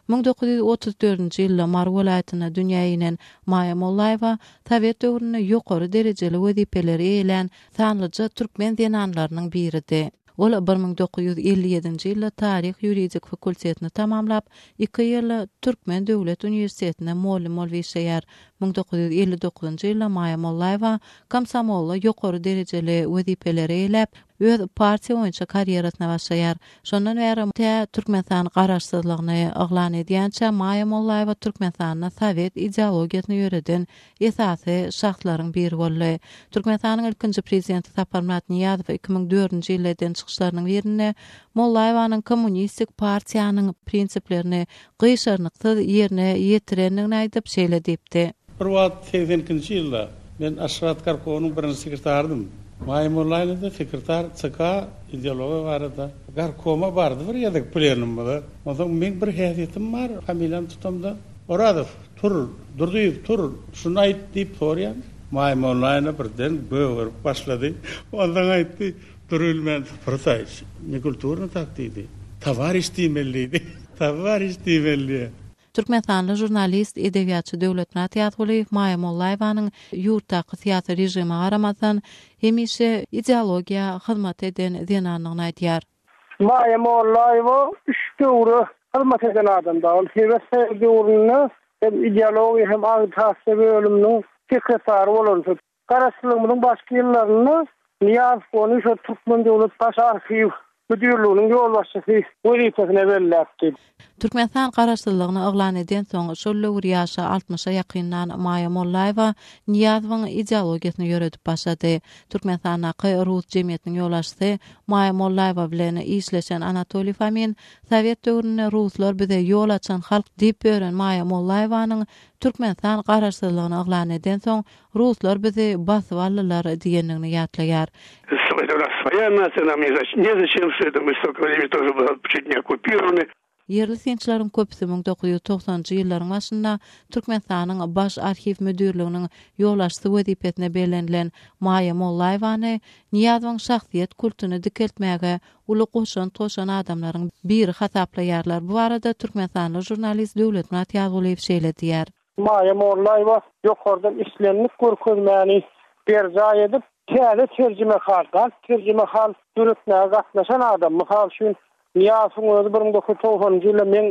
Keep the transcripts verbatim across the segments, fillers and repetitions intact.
Müň dokuz ýüz otuz dördünji ýylda Mary welaýatynda dünýä inen Maýa Mollaýewa sowet döwründe ýokary derejeli wezipeleri eýelän sanlyja türkmen zenanlarynyň biridi. Ol bir müň dokuz ýüz elli ýedinji ýylda taryh ýuridik fakultetini tamamlap, iki ýyl Türkmen döwlet uniwersitetinde mugallym bolup işleýär. Müň dokuz ýüz elli dokuzynjy ýylda Maýa Mollaýewa komsomolda ýokary derejeli wezipeleri eýläp, öz partiýa boýunça karýerasyna başlaýar. Şondan bäri tä Türkmenistan garaşsyzlygyny yglan edýänçä Maýa Mollaýewa Türkmenistanda sowet ideologiýasyny ýöreden esasy şahslaryň biri boldy. Türkmenistanyň ilkinji prezidenti Saparmyrat Nyýazow iki müň dördünji ýylda eden çykyşlarynyň birinde Mollaýewanyň kommunistik partiýanyň prinsiplerini gyşarnyksyz ýerine ýetirendigini aýdyp şeýle diýipdi. Bir wagt seksen ikinji ýylda men Aşgabat Garkownyň birinji sekretarydym. Maýa Mollaýewa da sekretar Ç K ideologiýa barada Garkoma bardy bir ýerde plenumda. Onsoň men bir häsiýetim bar, familiýamy tutamda Orazow, tur, Durdyýew, tur, şuny aýt diýip sorýan. Maýa Mollaýewa birden gögerip başlady. Ondan aýtdy, dur bilmän, Fırsaýç, ne kulturny tak diýdi. Towariş diýmeli diýdi. Towariş diýmeli. Türkmenistanly žurnalist, edebiýatçy Döwletmyrat Ýazgulyýew Maýa Mollaýewanyň ýurtdaky syýasy režime garamazdan hemişe ideologiýa hyzmat eden zenanlygyny aýdýar. Maýa Mollaýewa üç döwre hyzmat eden adamdy. Ol Sowet döwründe hem ideologiýa hem agitasiýa bölüminiň sekretary bolan. Garaşsyzlygymyzyň başky ýyllarynda Nyýazow ony şo Türkmen döwlet baş arhiw müdirliginiň ýolbaşçysy wezipesine belläpdi. Türkmenistan garaşsyzlygyny yglan eden soň şol döwür ýaşy altmyşa ýakyndan Maýa Mollaýewa Nyýazowyň ideologiýasyny ýöredip başlady. Türkmenistandaky Rus jemgyýetiniň ýolbaşçysy Maýa Mollaýewa bilen işleşen Anatoliý Fomin Sowet döwründe ruslar bize ýol açan halk diýip bören Maýa Mollaýewanyň Türkmenistan garaşsyzlygyny yglan eden soň ruslar bizi basyp aldylar diýendigini ýatlaýar. Это у нас своя нация, нам не зач-, незачем все это, мы столько времени тоже были чуть не оккупированы. Ýerli synçylaryň köpüsi müň dokuz ýüz togsanjy ýyllaryň başynda Türkmenistanyň baş arhiw müdirliginiň ýolbaşçysy wezipesine bellenilen Maýa Mollaýewany Nyýazowyň şahsyýet kultuny dikeltmäge uly goşant goşan adamlaryň biri hasaplaýarlar. Bu barada Türkmenistanly žurnalist Döwletmyrat Ýazgulyýew şeýle diýär. Maýa Mollaýewa ýokardan islenlik görkezmäni berjaý edip, täze terjimehal, galp terjimehal döretmäge gatnaşan adam. Mysal üçin, Nyýazowyň özi bir müň dokuz ýüz togsanynjy ýylda meň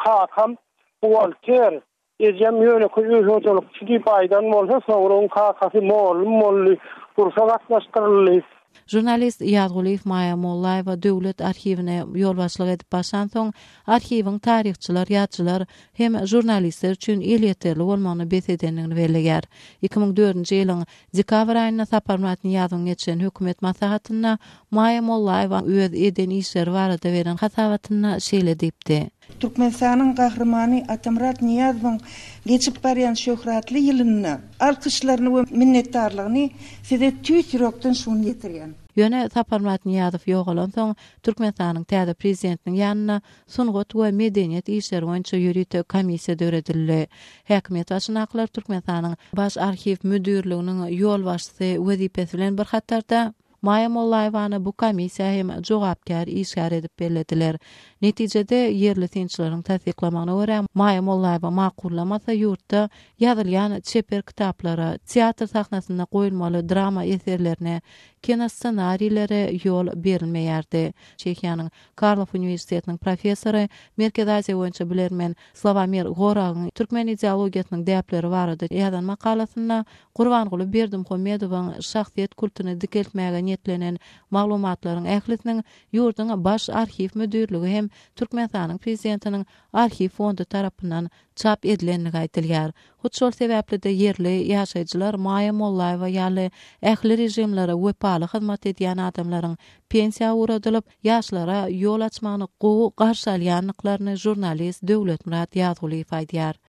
kakam buhgalter, ejem ýönekeý öý hojalykçy diýip aýdan bolsa, soňra onuň kakasy mollum boldy, urşa gatnaşdyryldy. Žurnalist Ýazgulyýew Maýa Mollaýewa döwlet arhiwine ýolbaşçylyk edip başlan soň, arhiwiň taryhçylar, ýazjylar hem žurnalistler üçin elýeterli bolmagyny bes edendigini belleýär. Iki müň dördünji ýylyň dekabr aýynda Saparmyrat Nyýazowyň geçen hökümet maslahatynda Maýa Mollaýewa öz eden işleri barada beren hasabatynda şeýle diýipdi. Türkmenistanyň gahrymany Atamyrat Nyýazowyň geçip barýan şöhratly ýylynda alkyşlaryny we minnetdarlygyny size tüýs ýürekden şuny ýetirýän. Ýöne Saparmyrat Nyýazow ýogalan soň Türkmenistanyň täze prezidentiniň ýanyna sungat we medeniýet işleri boýunça ýörite komissiýa döredildi. Häkimiýet başyndakylar Türkmenistanyň baş arhiw müdirliginiň ýolbaşçysy wezipesi bilen bir hatarda Maýa Mollaýewany bu komissiýa hem jogapkär işgär edip bellediler. Netijede ýerli synçylaryň tassyklamagyna görä Maýa Mollaýewa makullamasa ýurtda ýazylýan çeper kitaplara, teatr sahnasynda goýulmaly drama eserlerine, kino ssenarilere ýol berilmeýärdi. Çehiýanyň Karlov uniwersitetiniň professory, Merkezi Aziýa boýunça bilermen Slawomir Goragyň türkmen ideologiýasynyň däpleri barada ýazan makalasynda Gurbanguly Berdimuhamedowyň şahsyýet kultuny dikeltmäge niýetlenen maglumatlaryň ählisiniň ýurduň baş arhiw müdirligi hem Türkmenistanyň prezidentiniň arhiw fondy tarapyndan çap edilendigi aýdylýar. Hut şol sebäpli-de ýerli ýaşaýjylar Maýa Mollaýewa ýaly ähli režimlere wepaly hyzmat edýän adamlaryň pensiýa ugradylyp, ýaşlara ýol açmagyny gowy garşy alýandyklaryny žurnalist Döwletmyrat Ýazgulyýew aýdýar.